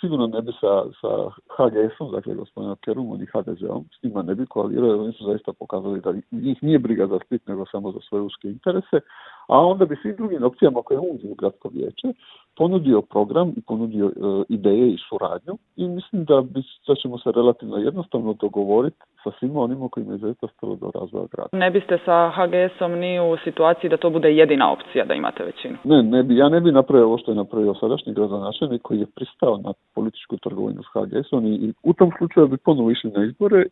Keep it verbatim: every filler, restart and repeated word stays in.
sigurno ne bi sa, sa ha ge esom, dakle gospodinom Kerumom i ha de zeom, s njima ne bi koalirao, jer oni su zaista pokazali da njih nije briga za Split, nego samo za svoje uske interese, a onda bi svim drugim opcijama koje uđu u gradsko vijeće ponudio program i ponudio e, ideje i suradnju i mislim da, bi, da ćemo se relativno jednostavno dogovoriti sa svima onima kojima je zaista stalo do razvoja grada. Ne biste sa ha ge esom ni u situaciji da to bude jedina opcija da imate većinu? Ne, ne bi, ja ne bi napravio ovo što je napravio sadašnji gradonačelnik koji je pristao na političku trgovinu s ha ge esom i, i u tom slučaju bi ponovo išli na izbore.